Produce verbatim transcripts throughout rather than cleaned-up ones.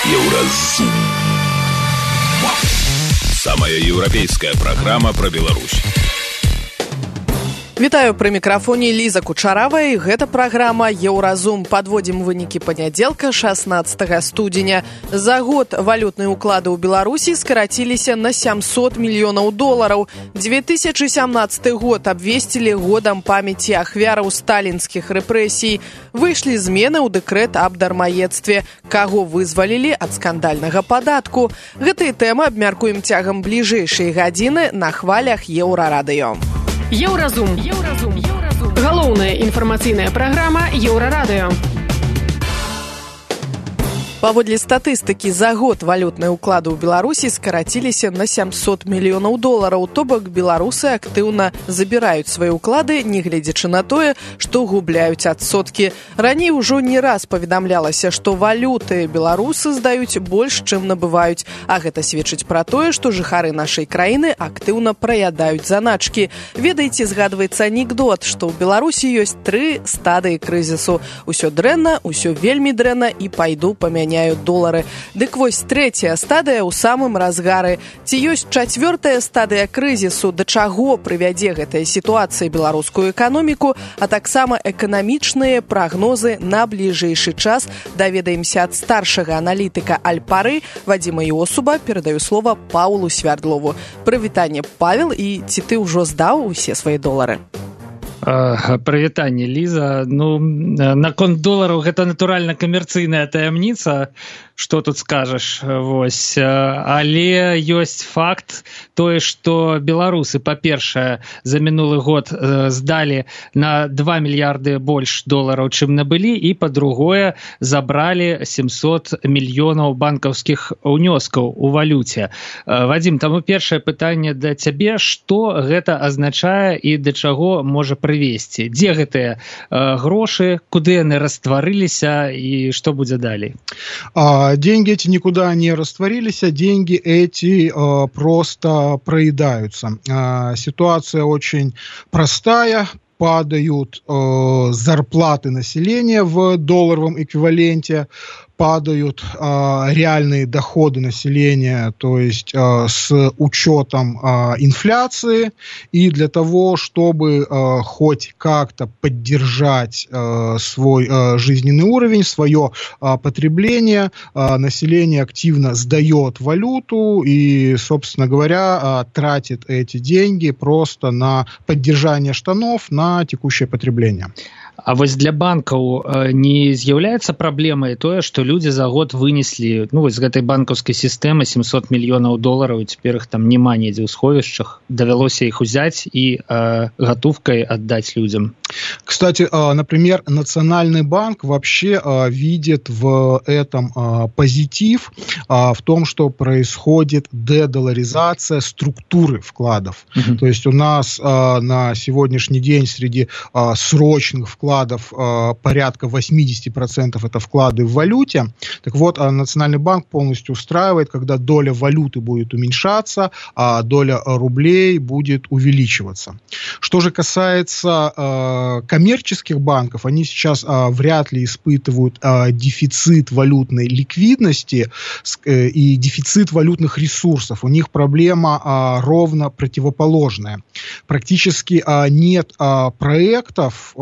Еўразум. Самая еўрапейская праграма пра Беларусь. Вітаю, пры мікрафоне Ліза Кучаравая, і гэта праграма «Еўразум». Падводзім вынікі панядзелка, шаснаццатага студзеня. За год валютныя ўклады ў Беларусі скараціліся на сямсот мільёнаў долараў. две тысячы сямнаццаты год абвесцілі годам памяці ахвяраў сталінскіх рэпрэсій. Выйшлі змены ў дэкрэт аб дармаедстве. Каго вызвалілі ад скандальнага падатку? Гэтыя тэмы абмяркуем цягам бліжэйшай гадзіны на хвалях Еўрарадыё. Еўразум. Еўразум. Еўразум. Галоўная інфармацыйная праграма Еўрарадыё. Паводле статыстыкі, за год валютныя ўклады ў Беларусі скараціліся на сямсот мільёнаў долараў. То бок беларусы актыўна забіраюць свае ўклады, нягледзячы на тое, што губляюць адсоткі. Раней ужо не раз паведамлялася, што валюты беларусы здаюць больш, чым набываюць. А гэта сведчыць пра тое, што жыхары нашай краіны актыўна праядаюць заначкі. Ведаеце, згадваецца анекдот, што ў Беларусі ёсць тры стадыі крызісу. Усё дрэнна, усё вельмі дрэнна і пайду памяняю долары. Дык вось трэцяя стадыя ў самым разгары. Ці ёсць чацвёртая стадыя крызісу, да чаго прывядзе гэтая сітуацыя беларускую эканоміку, а таксама эканамічныя прагнозы на бліжэйшы час, даведаемся ад старшага аналітыка Альпары Вадзіма Іосуба. Перадаю слова Паўлу Свярдлову. Прывітанне, Павел, і ці ты ўжо здаў усе свае долары? Прывітанне, Ліза. Ну, наконт долараў гэта натуральна камерцыйная таямніца, што тут скажаш, вось. Але ёсць факт тое, што беларусы, па-першае, за мінулы год здалі на два мільярды больш долараў, чым набылі, і, па-другое, забралі сямсот мільёнаў банкаўскіх унёскаў у валюце. Вадзім, таму першае пытанне да цябе, што гэта азначае і да чаго можа прывесці? Дзе гэтыя грошы, куды яны растварыліся і што будзе далей? Деньги эти никуда не растворились, а деньги эти э, просто проедаются. Э, ситуация очень простая. Падают э, зарплаты населения в долларовом эквиваленте, падают э, реальные доходы населения, то есть э, с учетом э, инфляции. И для того, чтобы э, хоть как-то поддержать э, свой э, жизненный уровень, свое э, потребление, э, население активно сдает валюту и, собственно говоря, э, тратит эти деньги просто на поддержание штанов, на текущее потребление. А вось для банкаў не з'яўляецца праблемай тое, што людзі за год вынеслі, ну, вось з гэтай банкаўскай сістэмы сямсот мільёнаў долараў, і цяпер іх там няма недзе ў сховішчах, давялося іх узяць і э, гатовкай аддаць людзям. Кстати, например, Национальный банк вообще видит в этом позитив, в том, что происходит дедоларизация структуры вкладов. Uh-huh. То есть у нас на сегодняшний день среди срочных вкладов порядка восемьдесят процентов это вклады в валюте. Так вот, Национальный банк полностью устраивает, когда доля валюты будет уменьшаться, а доля рублей будет увеличиваться. Что же касается коммерческих банков, они сейчас а, вряд ли испытывают а, дефицит валютной ликвидности э, и дефицит валютных ресурсов. У них проблема а, ровно противоположная. Практически а, нет а, проектов э,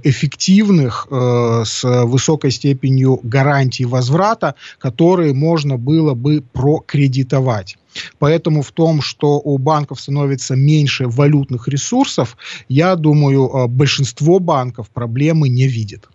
эффективных э, с высокой степенью гарантии возврата, которые можно было бы прокредитовать. Поэтому в том, что у банков становится меньше валютных ресурсов, я думаю, большинство банков проблемы не видит.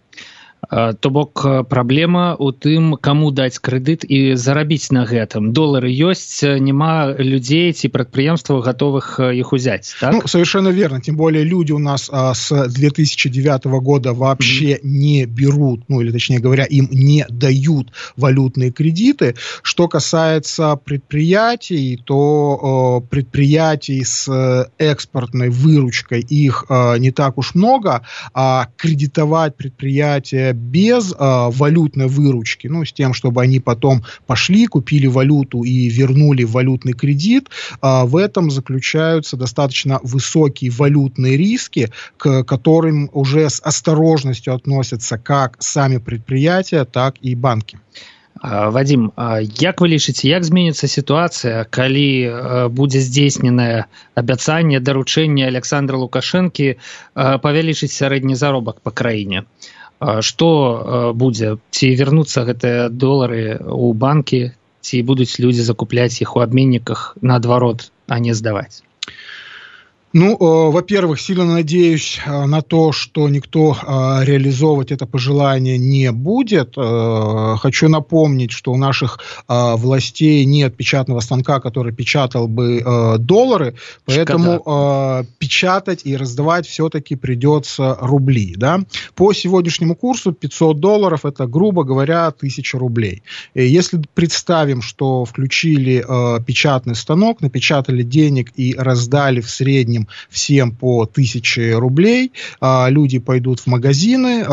То бок праблема ў тым, каму даць крэдыт і зарабіць на гэтым. Долары ёсць, няма людзей ці прадпрыемстваў гатовых іх узяць, так? Ну, совершенно верно. Тем более люди у нас а, с две тысячи девятого года вообще mm-hmm. не берут, ну или точнее говоря, им не дают валютные кредиты. Что касается предприятий, то э, предприятий с экспортной выручкой их э, не так уж много, а кредитовать предприятия без а, валютной выручки, ну, с тем, чтобы они потом пошли, купили валюту и вернули валютный кредит, а, в этом заключаются достаточно высокие валютные риски, к которым уже с осторожностью относятся как сами предприятия, так и банки. Вадим, як вы лічыце, як зменіцца сітуацыя, калі будзе здзейсненае абяцанне, даручэнне Александра Лукашэнкі павялічыць сярэдні заробак па краіне? Што будзе? Ці вернуцца гэтыя долары ў банкі, ці будуць людзі закупляць іх у абменніках наадварот, а не сдавать? Ну, э, во-первых, сильно надеюсь э, на то, что никто э, реализовывать это пожелание не будет. Э, хочу напомнить, что у наших э, властей нет печатного станка, который печатал бы э, доллары, поэтому э, печатать и раздавать все-таки придется рубли. Да? По сегодняшнему курсу пятьсот долларов – это, грубо говоря, тысяча рублей. И если представим, что включили э, печатный станок, напечатали денег и раздали в среднем всем по тысяче рублей, люди пойдут в магазины,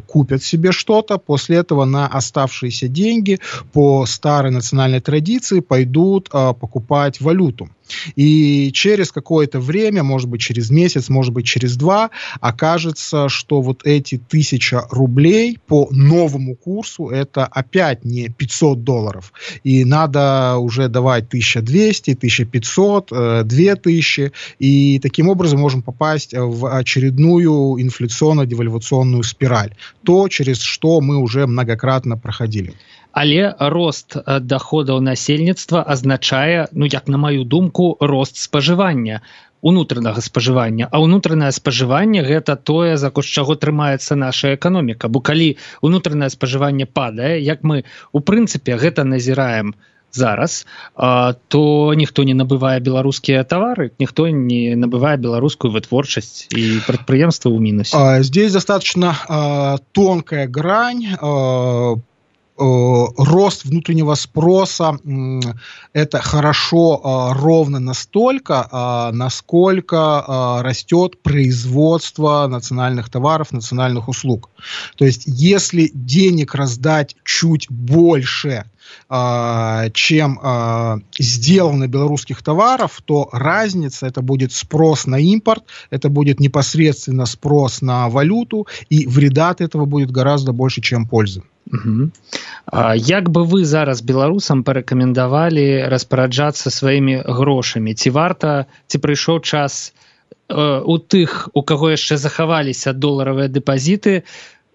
купят себе что-то, после этого на оставшиеся деньги по старой национальной традиции пойдут покупать валюту. И через какое-то время, может быть, через месяц, может быть, через два, окажется, что вот эти тысяча рублей по новому курсу это опять не пятьсот долларов. И надо уже давать тысяча двести, тысяча пятьсот, две тысячи. И таким образом можем попасть в очередную инфляционно-девальвационную спираль. То, через что мы уже многократно проходили. Але рост доходаў насельніцтва азначае, ну як на маю думку, рост спажывання, унутранага спажывання. А унутранае спажыванне гэта тое, за кошт чаго трымаецца наша эканоміка. Бо калі унутранае спажыванне падае, як мы у прынцыпе гэта назіраем зараз, то ніхто не набывае беларускія тавары, ніхто не набывае беларускую вытворчасць, і прадпрыемства ў мінусе. Здесь достаточно тонкая грань. Рост внутреннего спроса – это хорошо ровно настолько, насколько растет производство национальных товаров, национальных услуг. То есть, если денег раздать чуть больше, чем сделано белорусских товаров, то разница – это будет спрос на импорт, это будет непосредственно спрос на валюту, и вреда от этого будет гораздо больше, чем пользы. Угу. А як бы вы зараз беларусам парэкамендавалі распараджацца сваімі грошамі? Ці варта, ці прыйшоў час э, у тых, у каго яшчэ захаваліся доларавыя дэпазіты,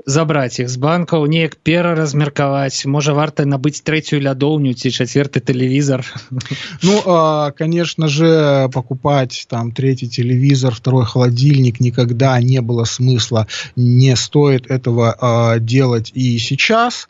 забраць іх з банкаў, неяк пераразмеркаваць, можа варта набыць трэцюю лядоўню ці чацвёрты телевизор? Ну, конечно же, покупать там третий телевизор, второй холодильник никогда не было смысла, не стоит этого делать и сейчас.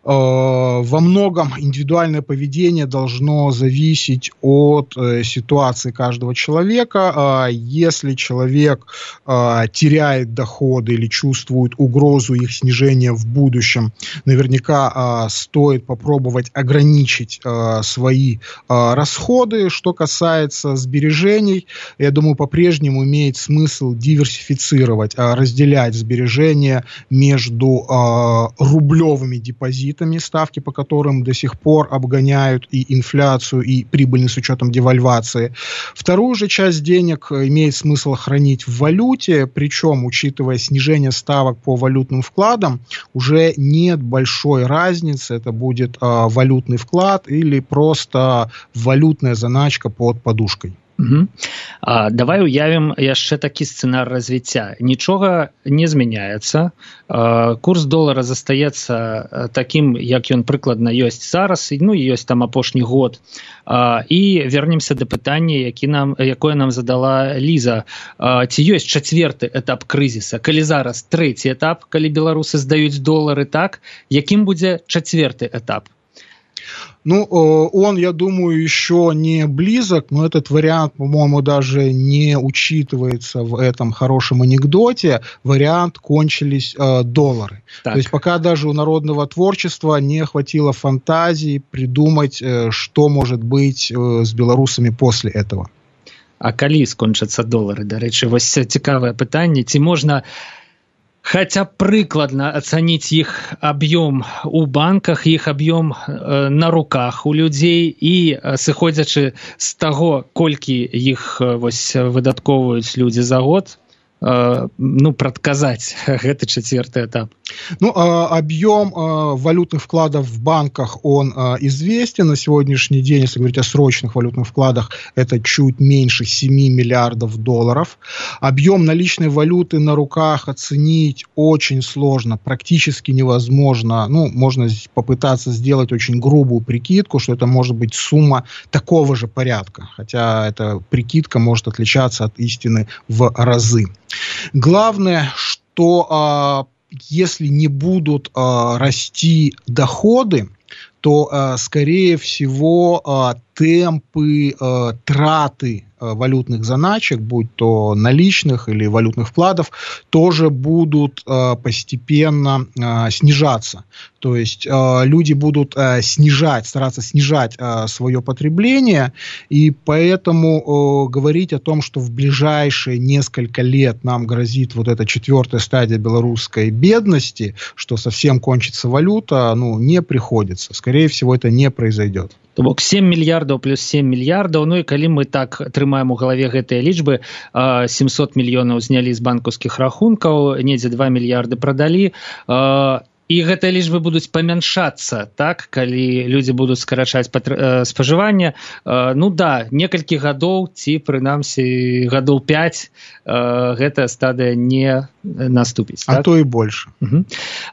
Во многом индивидуальное поведение должно зависеть от ситуации каждого человека. Если человек теряет доходы или чувствует угрозу их снижения в будущем, наверняка э, стоит попробовать ограничить э, свои э, расходы. Что касается сбережений, я думаю, по-прежнему имеет смысл диверсифицировать, э, разделять сбережения между э, рублевыми депозитами, ставки по которым до сих пор обгоняют и инфляцию, и прибыльность с учетом девальвации. Вторую же часть денег имеет смысл хранить в валюте, причем, учитывая снижение ставок по валютным вкладом, уже нет большой разницы, это будет э, валютный вклад или просто валютная заначка под подушкой. Угу. А, давай уявім яшчэ такі сцэнар развіцця. Нічога не змяняецца, а, курс долара застаецца такім, як ён прыкладна ёсць зараз, ну і ёсць там апошні год. А, і вернемся да пытання, які нам, якое нам задала Ліза. А, ці ёсць чацвёрты этап крызіса? Калі зараз трэці этап, калі беларусы здаюць долары, так, якім будзе чацвёрты этап? Ну, он, я думаю, еще не близок, но этот вариант, по-моему, даже не учитывается в этом хорошем анекдоте. Вариант «кончились э, доллары». Так. То есть пока даже у народного творчества не хватило фантазии придумать, э, что может быть э, с белорусами после этого. А калі скончацца долары? Дарэчы, вось цікавае пытанне. Ці можна хотя прыкладна ацаніць іх аб'ём у банках, іх аб'ём э, на руках у людзей і э, сыходзячы з таго, колькі іх э, вось выдаткоўваюць людзі за год, э, ну, прадказаць гэты чацвёрты этап? Ну, объем валютных вкладов в банках, он известен. На сегодняшний день, если говорить о срочных валютных вкладах, это чуть меньше семи миллиардов долларов. Объем наличной валюты на руках оценить очень сложно, практически невозможно. Ну, можно попытаться сделать очень грубую прикидку, что это может быть сумма такого же порядка, хотя эта прикидка может отличаться от истины в разы. Главное, что если не будут э, расти доходы, то, э, скорее всего, э, темпы э, траты э, валютных заначек, будь то наличных или валютных вкладов, тоже будут э, постепенно э, снижаться. То есть э, люди будут э, снижать, стараться снижать э, свое потребление, и поэтому э, говорить о том, что в ближайшие несколько лет нам грозит вот эта четвертая стадия белорусской бедности, что совсем кончится валюта, ну, не приходится. Скорее всего, это не произойдет. То бок сем мільярдаў плюс сем мільярдаў, ну і калі мы так трымаем у галаве гэтыя лічбы, семьсот мільёнаў знялі з банкаўскіх рахункаў, недзе два мільярды прадалі, і гэтыя лічбы будуць памяншацца, так, калі людзі будуць скарачаць спажыванне. Ну да, некалькі гадоў, ці прынамсі гадоў пяць, гэтая стадыя не наступіць. А так? То і больш. Угу.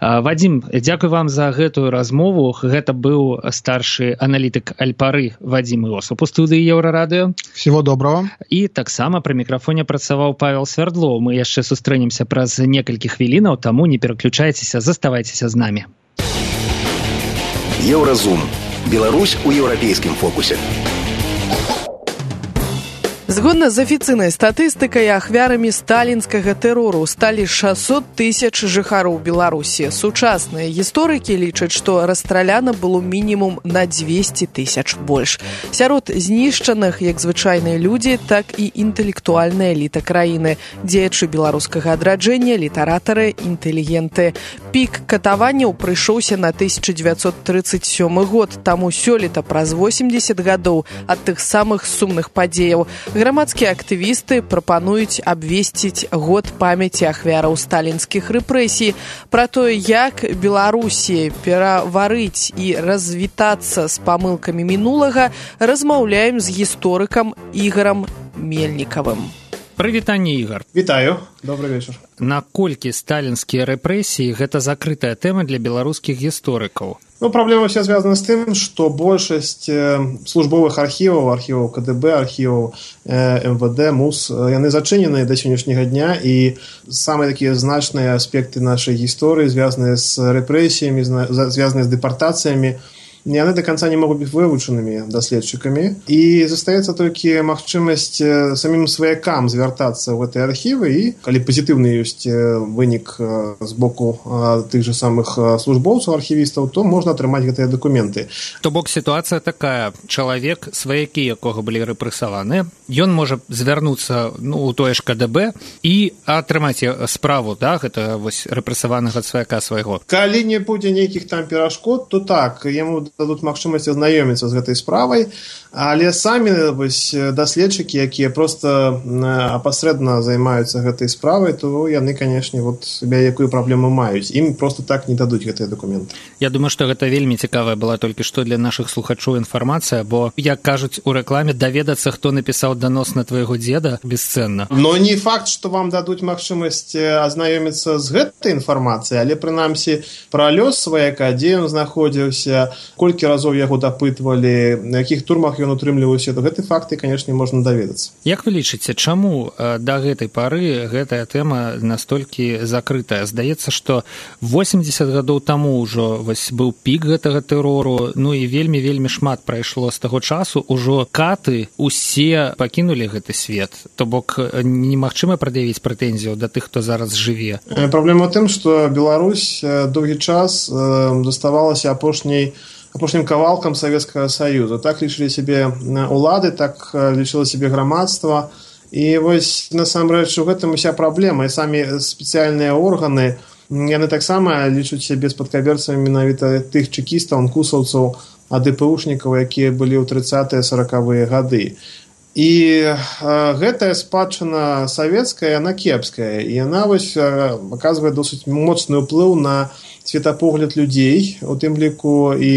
Вадзім, дзякуй вам за гэтую размову. Гэта быў старшы аналітык Альпары Вадзім Іосуп у студыі Еўрарадыё. Всего доброго. І таксама пры мікрафоне працаваў Павел Свердлоў. Мы яшчэ сустрэнемся праз некалькі хвілінаў, таму не пераключайцеся, заставайцеся з намі. Еўразум. Беларусь у еўрапейскім фокусе. Згодна з афіцыйнай статыстыкай, ахвярамі сталінскага тэрору сталі шэсцьсот тысяч жыхароў Беларусі. Сучасныя гісторыкі лічаць, што расстраляна было мінімум на дзвесце тысяч больш. Сярод знішчаных як звычайныя людзі, так і інтэлектуальная эліта краіны, дзеячы беларускага адраджэння, літаратары, інтэлігенты. Пік катаванняў прыйшоўся на тысяча дзевяцьсот трыццаць сёмы год, таму сёлета праз восемьдесят гадоў ад тых самых сумных падзеяў грамадскія актывісты прапануюць абвесціць год памяці ахвяраў сталінскіх рэпрэсій. Пра тое, як Беларусі пераварыць і развітацца з памылкамі мінулага, размаўляем з гісторыкам Ігорам Мельнікавым. Прывітанне, Ігор. Вітаю, добрый вечар. Наколькі сталінскія рэпрэсіі гэта закрытая тэма для беларускіх гісторыкаў? Ну, проблема вся связана с тем, что большасць службовых архіваў, архіваў КДБ, архіваў МВД, МУС, яны зачынены до сённяшняга дня, і самыя такія значныя аспекты нашай гісторыі, звязаныя з рэпрэсіямі, звязаныя з дэпартацыямі, яны до конца не могуць быць вывучанымі даследчыкамі, і застаецца толькі магчымасць самім сваякам звяртацца ў гэтыя архівы, і калі пазітыўны ёсць вынік з боку тых же самых службоўцаў, архівістаў, то можна атрымаць гэтыя дакументы. То бок сітуацыя такая: чалавек, сваякі якога былі рэпрэсаваны, ён можа звярнуцца, ну, у тое ж КДБ і атрымаць справу, да, гэта вось рэпрэсаванага сваяка свайго. Калі не будзе нейкіх там перашкод, то так, яму дадуць магчымасць азнаёміцца з гэтай справай, але самі вось даследчыкі, якія проста апасрэдна займаюцца гэтай справай, то яны, канешне, вот якую праблему маюць. Ім проста так не дадуць гэтыя дакументы. Я думаю, што гэта вельмі цікавая была толькі што для нашых слухачоў інфармацыя, бо, як кажуць у рэкламе, даведацца, хто напісаў данос на твайго дзеда, бесцэнна. Но не факт, што вам дадуць магчымасць азнаёміцца з гэтай інфармацыяй, але прынамсі пра лёс сваяка, дзе ён знаходзіўся, колькі разоў яго дапытвалі, на якіх турмах ён утрымліваўся, то гэты факты, канешне, можна даведацца. Як вы лічыце, чаму да гэтай пары гэтая тэма настолькі закрытая? Здаецца, што восемьдесят гадоў таму ўжо вось быў пік гэтага тэрору, ну і вельмі-вельмі шмат прайшло з таго часу, ужо каты усе пакінулі гэты свет. То бок немагчыма прад'явіць прэтэнзію да тых, хто зараз жыве. Праблема ў тым, што Беларусь доўгі час заставалася апошняй апошнім кавалкам Савецкага Саюза. Так лічылі сябе улады, так лічыла сябе грамадства. І вось насамрэч у гэтым уся праблема. І самі спецыяльныя органы, яны таксама лічуць сябе спадкаберцамі менавіта тых чэкістаў, анкусаўцаў, АДПУшнікаў, якія былі ў трыццатыя саракавыя гады. І э, гэтая спадчына савецкая, яна кепская, і яна вось э, аказвае досыць моцны ўплыў на светапогляд людзей, у тым ліку і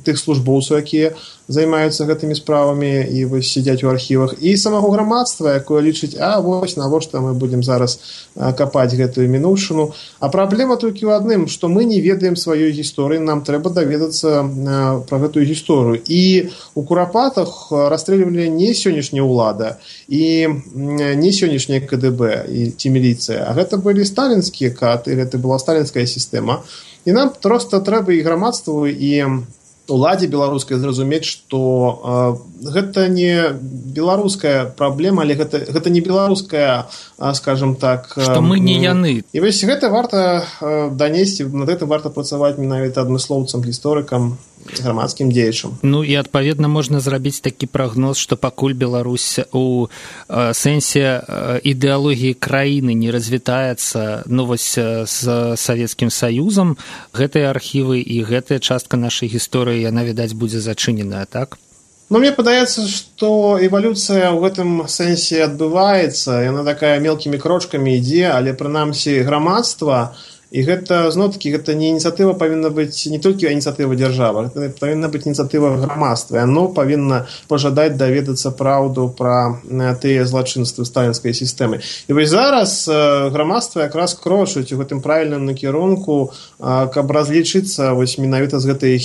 тых службоўцаў, якія займаюцца гэтымі справамі і вось сядзяць у архівах, і самого грамадства, якое лічыць, а вось навошта мы будзем зараз капаць гэтую мінуўшчыну. А праблема толькі ў адным, што мы не ведаем сваёй гісторыі, нам трэба даведацца пра гэтую гісторыю. І у Курапатах расстрэльвалі не сённяшняя ўлада і не сённяшняя КДБ і ці міліцыя, а гэта былі сталінскія каты, гэта была сталінская сістэма. І нам проста трэба і грамадству, і уладзе беларускай зразумець, што э, гэта не беларуская праблема, але гэта, гэта не беларуская, э, скажем так... Э, што мы не яны. І вось гэта варта э, данесці, над гэтым варта працаваць менавіта адмыслоўцам, гісторыкам, грамадскім дзеячам. Ну і адпаведна можна зрабіць такі прагноз, што пакуль Беларусь у э, сэнсе э, ідэалогіі краіны не развітаецца, ну вось э, з Савецкім Саюзам, гэтыя архівы і гэтая частка нашай гісторыі, яна, відаць, будзе зачыненая, так? Ну, мне падаецца, што эвалюцыя ў гэтым сэнсе адбываецца, яна такая мелкімі крочкамі ідзе, але прынамсі грамадства. І гэта, зноў-такі, гэта не ініцыятыва павінна быць не толькі ініцыятыва дзяржавы, гэта павінна быць ініцыятыва грамадства. Яно павінна пажадаць даведацца праўду пра тыя злачынствы сталінскай сістэмы. І вось зараз грамадства якраз крочыць у гэтым правільным накірунку, каб разлічыцца вось менавіта з гэтай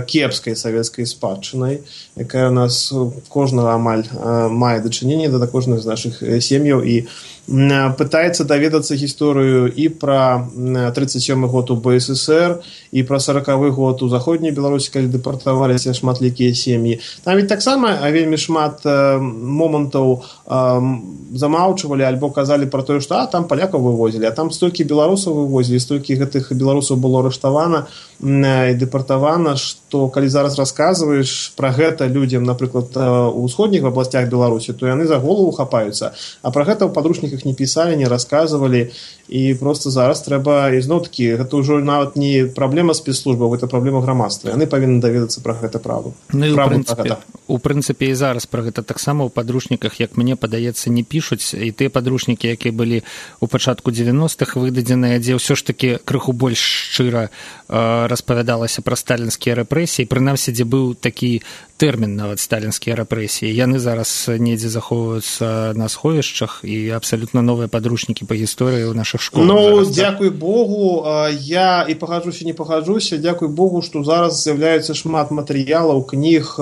кепскай савецкай спадчынай, якая у нас кожнага амаль мае дачыненне да кожнай з нашых сем'яў, і пытаецца даведацца гісторыю і пра тридцать сёмы год у БССР, і пра сорокавы год у заходняй Беларусі, калі дэпартаваліся шматлікія сем'і. Там ведь таксама вельмі шмат э, момантаў э, замаўчвалі альбо казалі пра тое, што а, там палякаў вывозілі, а там столькі беларусаў вывозілі, столькі гэтых беларусаў было арыштавана э, і дэпартавана, што калі зараз расказваеш пра гэта людзям, напрыклад, у ўсходніх абласцях Беларусі, то яны за голову хапаюцца, а пра гэта ў падручніках не пісалі, не расказвалі, і просто зараз трэба, і зноў-такі, гэта ўжо нават не праблема спецслужбаў, гэта праблема грамадства. Яны павінны даведацца пра гэта правду. Ну і ў прынцыпе, у прынцыпе і зараз пра гэта таксама ў падручніках, як мне падаецца, не пішуць, і тыя падручнікі, якія былі ў пачатку дзевяностых выдадзеныя, дзе ўсё ж такі крыху больш шчыра э, распавядалася пра сталінскія рэпрэсіі, прынамсі, дзе быў такі тэрмін нават сталінскія рэпрэсіі. Яны зараз недзе захоўваюцца на сховішчах, і абсалютна новыя падручнікі па гісторыі ў нашых школах. Ну, дзякуй Богу, я і пагаджуся, не пагаджуся, дзякуй Богу, што зараз з'яўляецца шмат матэрыялаў, кніг,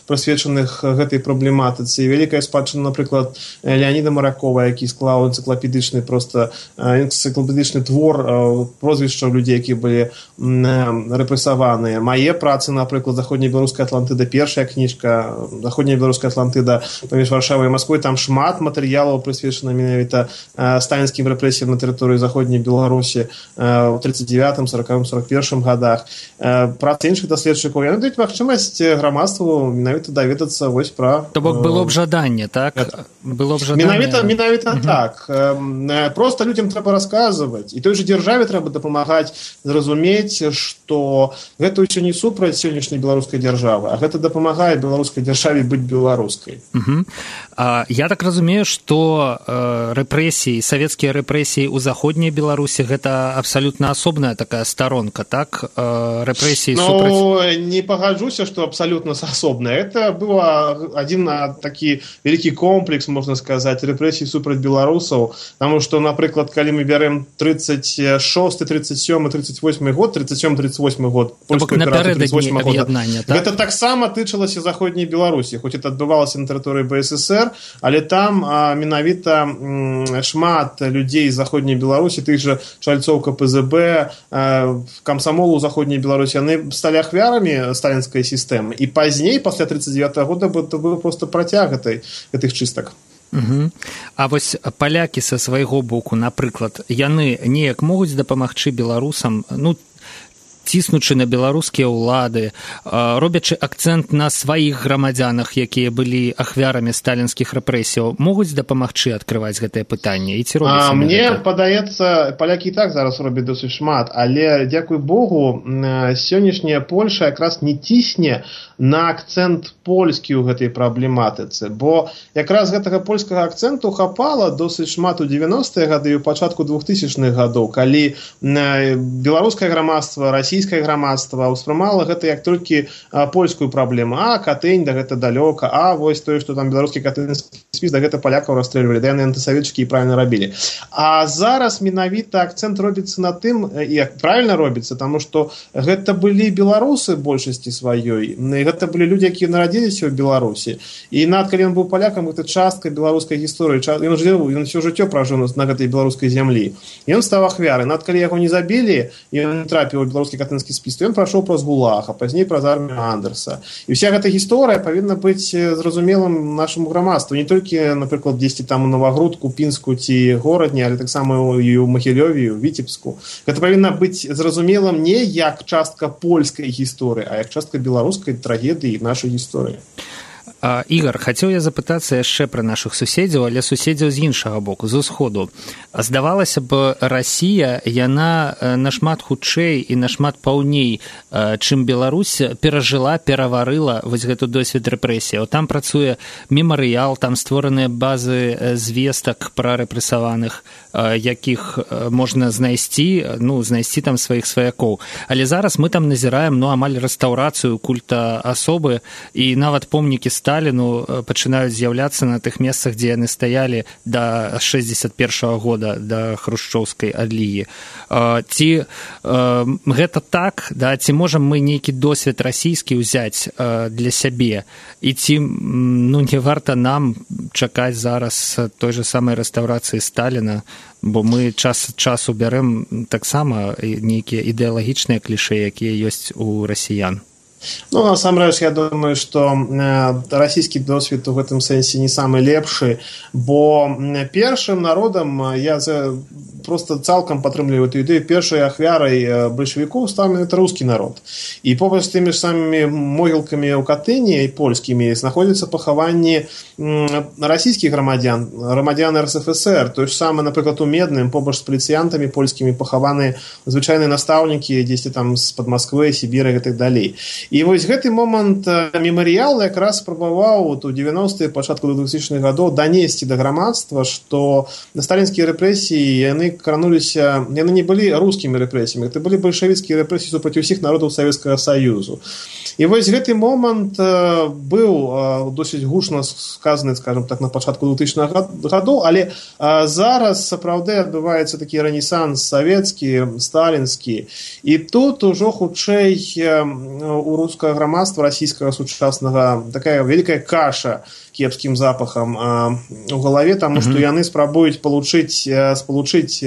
прысвечаных гэтай праблематыцы. Вялікая спадчына, напрыклад, Леаніда Маракова, які склаў энцыклапедычны просто энцыклапедычны твор прозвішчаў людзей, якія былі рэпрэсаваныя. Мае працы, напрыклад, заходнебеларуская Атлантыда, першая кніжка, заходняя беларуская Атлантыда паміж Варшавай і Масквой, там шмат матэрыялаў прысвечана менавіта сталінскім рэпрэсіям на тэрыторыі заходняй Беларусі ў тридцать девятым, сорокавым, сорок первым годах. Працы іншых даследчыкаў, яны даюць магчымасць грамадству менавіта даведацца вось пра... То бок было б жаданне, так? Было б жаданне... Менавіта, менавіта угу. Так. Просто людзям трэба расказваць. І той жа дзяржаве трэба дапамагаць зразумець, што гэта ўсё не супраць сённяшняй беларускай дзяржавы, а гэта дапамагае беларускай дзяржаве быць беларускай. Угу. А, я так разумею, што э, рэпрэсіі, савецкія рэпрэсіі ў заходняй Беларусі гэта абсалютна асобная такая старонка, так? Э, рэпрэсіі ну, супраць... Ну, не пагаджуся, што абсалютна асобная. Это быў адзін такі вялікі комплекс, можна сказаць, рэпрэсій супраць беларусаў, таму што, напрыклад, калі мы бярэм тридцать шосты, тридцать сёмы, тридцать восьмы год, тридцать сёмы, тридцать восьмы год, польскую аперацыю тридцать восьмого года, так? Гэта таксама тычылася заходняй Беларусі, хоць это адбывалася на тэрыторыі БССР, але там а, менавіта м, шмат людзей з заходняй Беларусі, тых жа чальцоў КПЗБ, а, камсамолу заходняй Беларусі, яны сталі ахвярамі сталінскай сістэмы. І пазней, пасля тридцать девятого года, это быў проста працяг гэтай, гэтых чыстак. Угу. А вось палякі са свайго боку, напрыклад, яны неяк могуць дапамагчы беларусам, ну, ціснучы на беларускія ўлады, робячы акцэнт на сваіх грамадзянах, якія былі ахвярамі сталінскіх рэпрэсіяў, могуць дапамагчы адкрываць гэтае пытанне? І ці робіць мне падаецца, палякі і так зараз робяць досыць шмат, але дзякуй Богу, сённяшняя Польша якраз не цісне на акцэнт польскі ў гэтай праблематыцы, бо якраз гэтага польскага акцэнту хапала досыць шмат у дзевяностыя гады і ў пачатку двухтысячных гадоў, калі беларускае грамадства, расійскае грамадства ўспрымала гэта як толькі польскую праблему. А, Катынь, да гэта далёка, а вось тое, што там беларускі катынскі спіс, да гэта палякаў расстрэльвалі, да яны антысавецчыкі і правільна рабілі. А зараз менавіта акцэнт робіцца на тым, і правільна робіцца, таму што гэта былі беларусы большасці сваёй, і гэта былі людзі, якія нарадзіліся ў Беларусі. І нават калі ён быў палякам, гэта частка беларускай гісторыі, ён жыў, ён усё жыццё пражыў на гэтай беларускай зямлі. Ён стаў ахвярай. Нават калі яго не забілі, і ён не трапіў у беларускі катынскі спіс, то ён прайшоў праз ГУЛАГ, а пазней праз армію Андерса. І вся гэта гісторыя павінна быць зразумелым нашаму грамадству, не толькі, напрыклад, дзесьці там у Новагрудку, Пінску ці горадні, але таксама і ў Магілёве, у Віцебску. Гэта павінна быць зразумелым не як частка польскай гісторыі, а як частка беларускай трагедыі і нашай гісторыі. Ігар, хацеў я запытацца яшчэ пра нашых суседзяў, але суседзяў з іншага боку, з усходу. Здавалася б, Расія, яна нашмат хутчэй і нашмат паўней, чым Беларусь, перажыла, пераварыла вось гэту досвед рэпрэсіяў. Там працуе мемарыял, там створаныя базы звестак пра рэпрэсаваных, якіх можна знайсці, ну, знайсці там сваіх сваякоў. Але зараз мы там назіраем, ну, амаль рэстаўрацыю культа асобы, і нават помнікі Сталіну пачынаюць з'яўляцца на тых месцах, дзе яны стаялі да шэсцьдзесят першага года, да хрушчоўскай адлігі. Ці гэта так, да, ці можам мы нейкі досвед расійскі ўзяць для сябе, і ці, ну, не варта нам чакаць зараз той же самай рэстаўрацыі Сталіна, бо мы час часу бярэм таксама нейкія ідэалагічныя клішэ, якія ёсць у расіян. Ну, насамрэч, я думаю, што расійскі досвед у гэтым сэнсе не самы лепшы, бо першым народам, я просто цалкам падтрымліваю эту ідэю, першай ахвярай бальшавікоў стаў менавіта рускі народ. І побач з тымі ж самымі могілкамі ў Катыні і польскімі знаходзяцца пахаванні расійскіх грамадзян, грамадзян эр эс эф эс эр. Той ж самы, напрыклад, у Медным, побач з паліцыянтамі польскімі пахаваны звычайныя настаўнікі дзесьці там з-пад Масквы, Сібіра і так далей. І вось гэты момант мемарыял якраз спрабаваў у дзевяностыя, пачатку двухтысячных гадоў данесці да грамадства, што сталінскія рэпрэсіі, яны крануліся, яны не былі рускімі рэпрэсіямі, это былі бальшавіцкія рэпрэсіі супраць усіх народаў Савецкага Саюзу. І вось гэты момант быў досыць гучна сказаны, скажем так, на пачатку двухтысячных гадоў, але зараз сапраўды адбываецца такі рэнесанс савецкі, сталінскі. І тут ужо хутчэй у рускага грамадства расійскага сучаснага такая вялікая каша кепскім запахам у галаве, таму што яны спрабуюць палучыць, спалучыць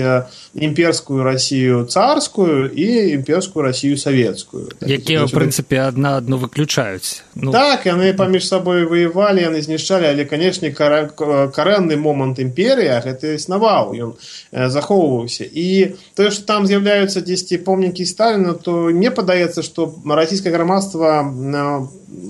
імперскую Расію царскую і імперскую Расію савецкую. Якія, ў прынцыпе, адна адну выключаюць. Ну... Так, яны паміж сабой ваявалі, яны знішчалі, але, канешне, карэнны момант імперыі, гэта існаваў, ён захоўваўся. І тое, што там з'яўляюцца дзесьці помнікі Сталіна, то мне падаецца, што расійскае грамадства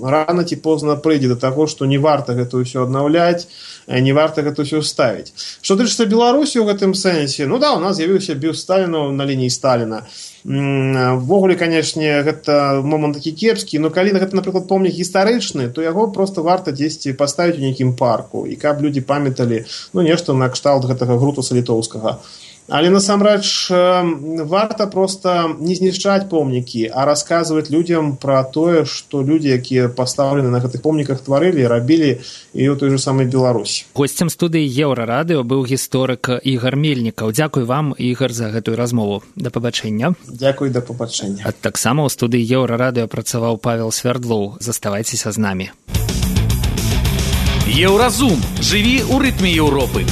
рана ці позна прыйдзе да таго, што не варта гэта ўсё аднаўляць, не варта гэта ўсё ставіць. Што тычыцца Беларусі ў гэтым сэнсе, ну да, у нас з'явіўся бюст Сталіна на лініі Сталіна. Ввогуле, канешне, гэта момант такі кепскі, но калі гэта, напрыклад, помнік гістарычны, то яго проста варта дзесьці паставіць у нейкім парку, і каб людзі памяталі, ну, нешта на кшталт гэтага Грутуса літоўскага. Але насамрэч варта проста не знішчаць помнікі, а расказваць людзям пра тое, што людзі, якія пастаўлены на гэтых помніках, тварылі, рабілі і ў той же самай Беларусі. Госцем студыі Еўрарадыё быў гісторык Ігар Мельнікаў. Дзякуй вам, Ігар, за гэтую размову. Да пабачэння. Дзякуй, да пабачэння. А таксама ў студыі Еўрарадыё працаваў Павел Свярдлоў. Заставайцеся з намі. Еўразум. Жыві ў рытме Еўропы.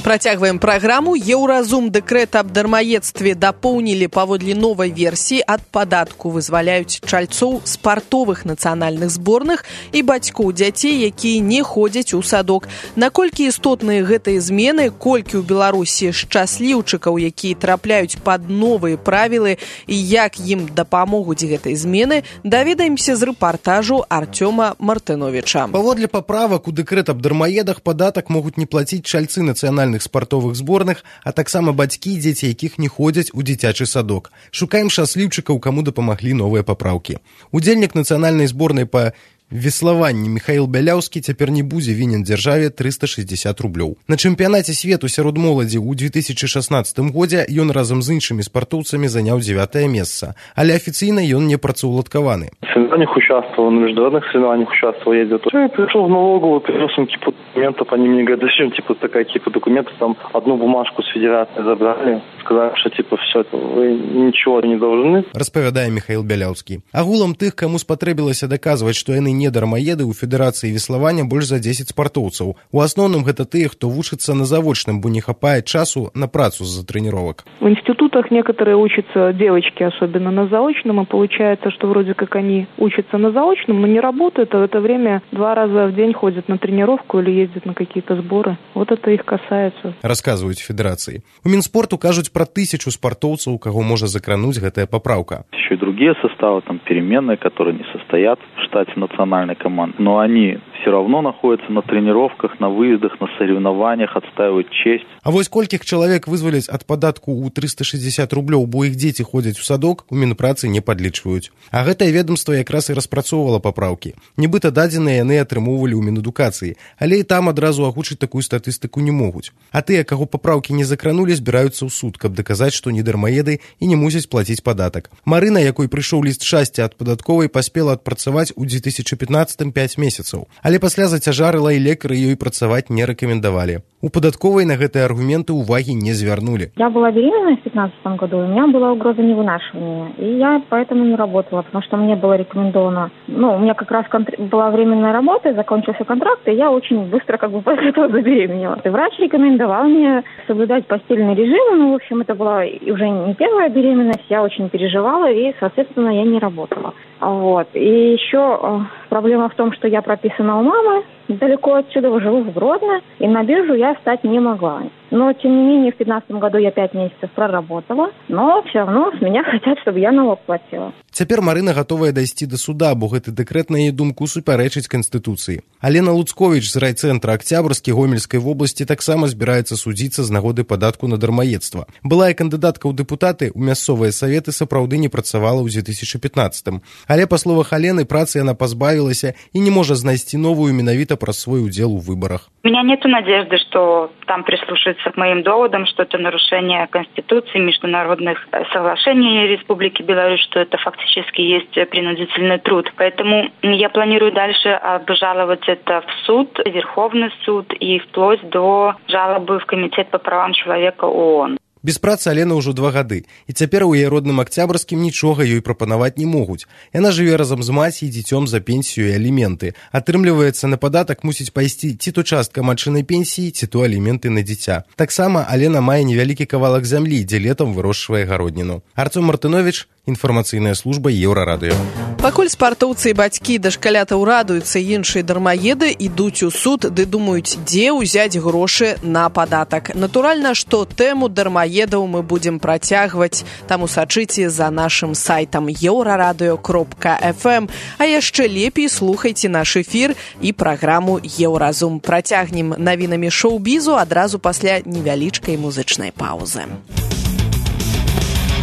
Працягваем праграму. Еўразум дэкрэт аб дармаедстве дапоўнілі паводле новай версіі. Ад падатку вызваляюць чальцоў спартовых нацыянальных зборных і бацькоў дзяцей, якія не ходзяць у садок. Наколькі істотныя гэтыя змены, колькі ў Беларусі шчасліўчыкаў, якія трапляюць пад новыя правілы і як ім дапамогуць гэтай змены, даведаемся з рэпартажу Артёма Мартыновіча. Паводле паправак у дэкрэт аб дармаедах падатак могуць не плаціць чальцы нацыянальных спартовых зборных, а таксама бацькі, дзеці якіх не ходзяць у дзіцячы садок. Шукаем шчасліўчыкаў, каму дапамаглі новыя папраўкі. Удзельнік нацыянальнай зборнай па веславанні Михаил Бяляўскі цяпер не будзе вінен дзяржаве трыста шэсцьдзесят рублёў. На чэмпіянаце свету сярод моладзі ў две тысячы шаснаццатым годзе ён разам з іншымі спартоўцамі заняў дзявятае месца, але афіцыйна ён не працаўладкаваны. В соревнованиях участвовал, на международных соревнованиях участвовал, ездил. Я пришел в налоговую, принес им кипу документов, они мне говорят, зачем типа такая кипа документов, там одну бумажку с федерации забрали, сказали, что типа все это, вы ничего не должны. Распавядае Михаил Бяляўскі. Агулам тых, каму спатрэбілася даказваць, што яны не дармаеды, у федэрацыі веславання больш за дзесяць спартоўцаў. У асноўным гэта тыя, хто вучыцца на завочным, бо не хапае часу на працу з-за тренировок. В институтах некоторые учатся, девочки особенно, на заочном, и получается, что вроде как они учатся на заочном, но не работают, а в это время два раза в день ходят на тренировку или ездят на какие-то сборы. Вот это их касается. Расказваюць федэрацыі. У Мінспорту кажуць пра тысячу спартоўцаў, каго можа закрануць гэтая папраўка. Еще и другие составы, там переменные, которые не состоят в штате национальной команды, но они все равно находятся на тренировках, на выездах, на соревнованиях, отстаивают честь. А вось колькіх чалавек вызваляць ад падатку ў трыста шэсцьдесят рублёў, бо іх дзеці ходзяць у садок, у Мінпрацы не падлічваюць. А гэтае ведомства якраз і распрацоўвала папраўкі. Нібыта дадзеныя яны атрымоўвалі ў Мінэдукацыі, але і там адразу агучыць такую статыстыку не могуць. А тыя, каго папраўкі не закранулі, збіраюцца ў суд, каб даказаць, што не дармаеды і не мусяць плаціць падатак. Марына, якой прыйшоў ліст шчасця ад падатковай, паспела адпрацаваць у две тысячи пятнадцатым пяць месяцаў. Але пасля зацяжарыла і лекары ёй працаваць не рэкамендавалі. У падатковай на гэтыя аргументы ўвагі не звярнули. Я была беременна в пятнадцатом году, у меня была угроза невынашивания, и я поэтому не работала, потому что мне было рекомендовано, ну, у меня как раз контр... была временная работа, закончился контракт, и я очень быстро как бы после этого забеременела. И врач рекомендовал мне соблюдать постельный режим, ну, в общем, это была уже не первая беременность, я очень переживала, и, соответственно, я не работала. Вот. И еще проблема в том, что я прописана у мамы, далеко отсюда, живу в Гродно, и на биржу я встать не могла. Но, тем не менее, в пятнадцатом году я пять месяцев проработала, но все равно с меня хотят, чтобы я налог платила. Цяпер Марына гатовая дайсці да суда, бо гэты дэкрэт, на яе думку, супярэчыць Канстытуцыі. Алена Луцковіч з райцэнтра Акцябрскі Гомельскай вобласці таксама збіраецца судзіцца з нагоды падатку на дармаедства. Былая кандыдатка ў дэпутаты, у мясцовыя саветы сапраўды не працавала ў две тысячи пятнадцатым. Але, па словах Алены, працы яна пазбавілася і не можа знайсці новую менавіта праз свой удзел у выбарах. У меня нет надежды, что там прислушаются к моим доводам, что это нарушение Конституции, международных соглашений Республики Беларусь, что это фактически есть принудительный труд. Поэтому я планирую дальше обжаловать это в суд, Верховный суд и вплоть до жалобы в Комитет по правам человека ООН. Без працы Алена ўжо два гады, і цяпер у яе родным Акцябрскім нічога ёй прапанаваць не могуць. Яна жыве разам з маці і дзіцём за пенсію і аліменты. Атрымліваецца, на падатак мусіць пайсці ці то частка матчынай пенсіі, ці то аліменты на дзіця. Таксама Алена мае невялікі кавалак зямлі, дзе летам вырошчвае гародніну. Артём Мартынович, інфармацыйная служба Еўрарадыё. Пакуль спартоўцы і бацькі дашкалятаў радуюцца, іншыя дармаеды ідуць у суд, ды думаюць, дзе ўзяць грошы на падатак. Натуральна, што тэму дармаедаў мы будзем працягваць, таму сачыце за нашым сайтам еўрарадыё кропка эф эм, а яшчэ лепей слухайце наш эфір і праграму Еўразум. Працягнем навінамі шоу-бізу адразу пасля невялічкай музычнай паўзы.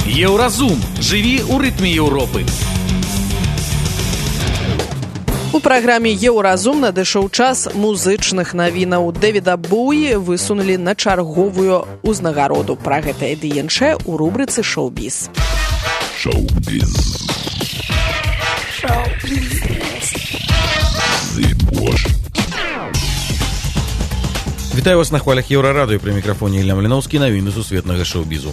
Еўразум. Жыві ў рытме Еўропы. У праграме Еўразум надышоў час музычных навінаў. Дэвіда Боуі высунулі на чарговую ўзнагароду. Пра гэта і іншае ў рубрыцы «Шоу-біз». Шоу-біз. Шоу-біз. Вітаю вас на хвалях Еўрарадыё, пры мікрафоне Ілля Маліноўскі, навіны сусветнага шоу-бізу.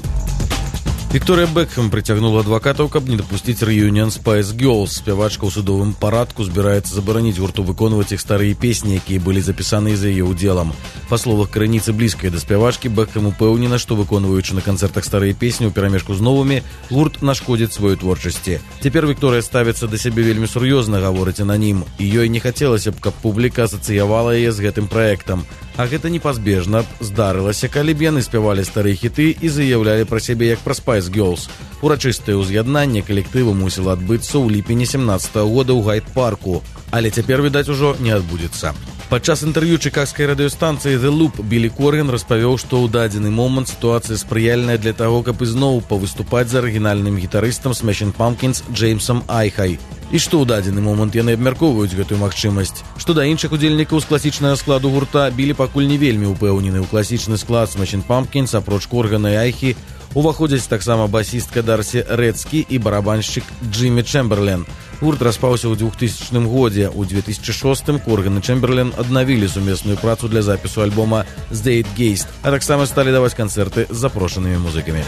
Вікторыя Бекхэм прыцягнула адвакатаў, каб не дапусціць рэюніон Spice Girls. Спявачка ў судовым парадку збіраецца забараніць гурту выконваць іх старыя песні, якія былі запісаны за яе ўдзелам. Па словах крыніцы блізкай да спявачкі, Бекхэм упэўнена, што выконваючы на канцэртах старыя песні ў перамешку з новымі, гурт нашкодзіць сваёй творчасці. Цяпер Вікторыя ставіцца да сябе вельмі сур'ёзна, гаворыць ананім, і ёй не хацелася б, каб публіка асацыявала яе з гэтым праектам. А гэта непазбежна б здарылася, калі б яны спявалі старыя хіты і заяўлялі пра сябе як пра Spice Girls. Урачыстае ўз'яднанне калектыву мусіла адбыцца ў ліпені сямнаццатага года ў Гайд-парку, але цяпер, відаць, ужо не адбудзецца. Падчас інтэрв'ю чыкагскай радыёстанцыі The Loop Білі Корган распавёў, што ў дадзены момант сітуацыя спрыяльная для таго, каб ізноў павыступаць з арыгінальным гітарыстам Smashing Pumpkins Джеймсам Айхай. І што ў дадзены момант яны абмяркоўваюць гэтую магчымасць. Што да іншых удзельнікаў з класічнага складу гурта, Білі пакуль не вельмі ўпэўнены ў класічны склад Smashing Pumpkins, апроч Коргана і Айхі, уваходзяць таксама басістка Дарсі Рэдскі і барабаншчык Джиммі Чэмберлен. Гурт распаўся ў двухтысячным годзе. У две тысячы шостым Корган і Чэмберлен аднавілі сумесную працу для запісу альбома «Zeitgeist», а таксама сталі даваць канцэрты з запрошанымі музыкамі.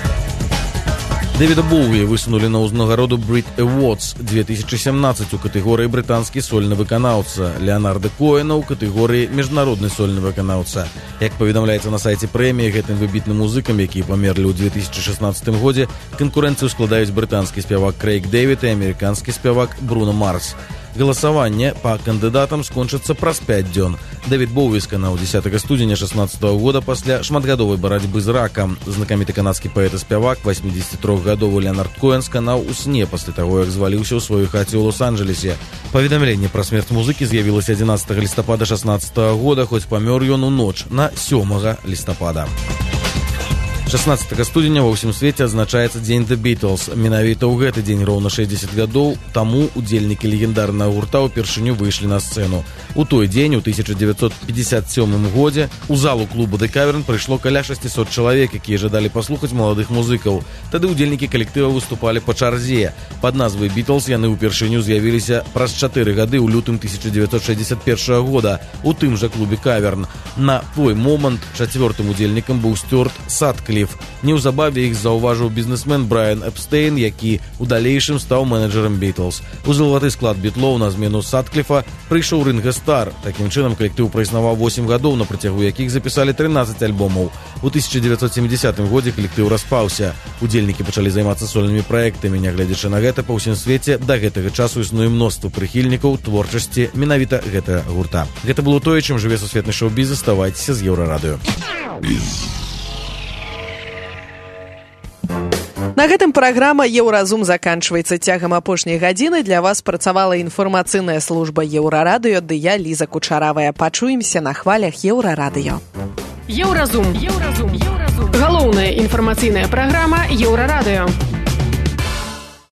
Дэвіда Боуі высунулі на ўзнагароду Brit Awards две тысячи семнадцать у катэгорыі брытанскі сольны выканаўца, Леонарда Коэна ў катэгорыі міжнародны сольны выканаўца. Як паведамляецца на сайце прэміі, гэтым выбітным музыкам, якія памерлі ў две тысячи шестнадцатым годзе, канкурэнцыю складаюць брытанскі спявак Крэйг Дэвід і амерыканскі спявак Бруно Марс. Галасаванне па кандыдатам скончыцца праз пяць дзён. Дэвід Боуі сканаў дзесятага студзеня шэснаццатага года пасля шматгадовай барацьбы з ракам. Знакаміты канадскі паэт і спявак восьмідзесятитрохгадовы Леонард Коэн сканаў у сне пасля таго, як зваліўся ў сваёй хаце ў Лос-Анджелесе. Паведамленне пра смерць музыкі з'явілася адзінаццатага лістапада шэснаццатага года, хоць памёр ён у ноч на сёмага лістапада. шэснаццатага студзеня ва ўсім свеце адзначаецца дзень The Beatles. Менавіта ў гэты дзень роўна шэсцьдзесят гадоў таму удзельнікі легендарнага гурта ўпершыню выйшлі на сцэну. У той дзень, у тысяча девятьсот пятьдесят сёмым годзе, у залу клуба The Cavern прыйшло каля шасцьсот чалавек, якія жадалі паслухаць маладых музыкаў. Тады ўдзельнікі калектыва выступалі па чарзе. Пад назвай Beatles яны ўпершыню з'явіліся праз чатыры гады ў лютым тысяча девятьсот шэсцьдесят першага года у тым жа клубе Cavern. На той момант чацвёртым удзельнікам быў Стюарт Саткліф. Неўзабаве іх заўважыў бізнесмен Брайан Эпстейн, які у далейшым стаў менеджерам Beatles. У залаты склад бітлоў на змену Саткліфа прыйшоў Ринго Стар. Такім чынам калектыў праіснаваў восем гадоў, на працягу якіх запісалі трынаццаць альбомаў. У тысяча девятьсот семидесятым годзе калектыў распаўся. Удзельнікі пачалі займацца сольнымі праектамі. Нягледзячы на гэта, па ўсім свеце да гэтага часу існуе мноства прыхільнікаў творчасці менавіта гэтага гурта. Гэта было тое, чым жыве сусветны шоу-біз. Заставайцеся з Еўрарадыё. На гэтым праграма «Еўразум» заканчваецца. Цягам апошняй гадзіны для вас працавала інфармацыйная служба Еўрарадыё, ды я, Ліза Кучаравая. Пачуемся на хвалях Еўрарадыё. Еўразум. Еўразум. Еўразум. Галоўная інфармацыйная праграма Еўрарадыё.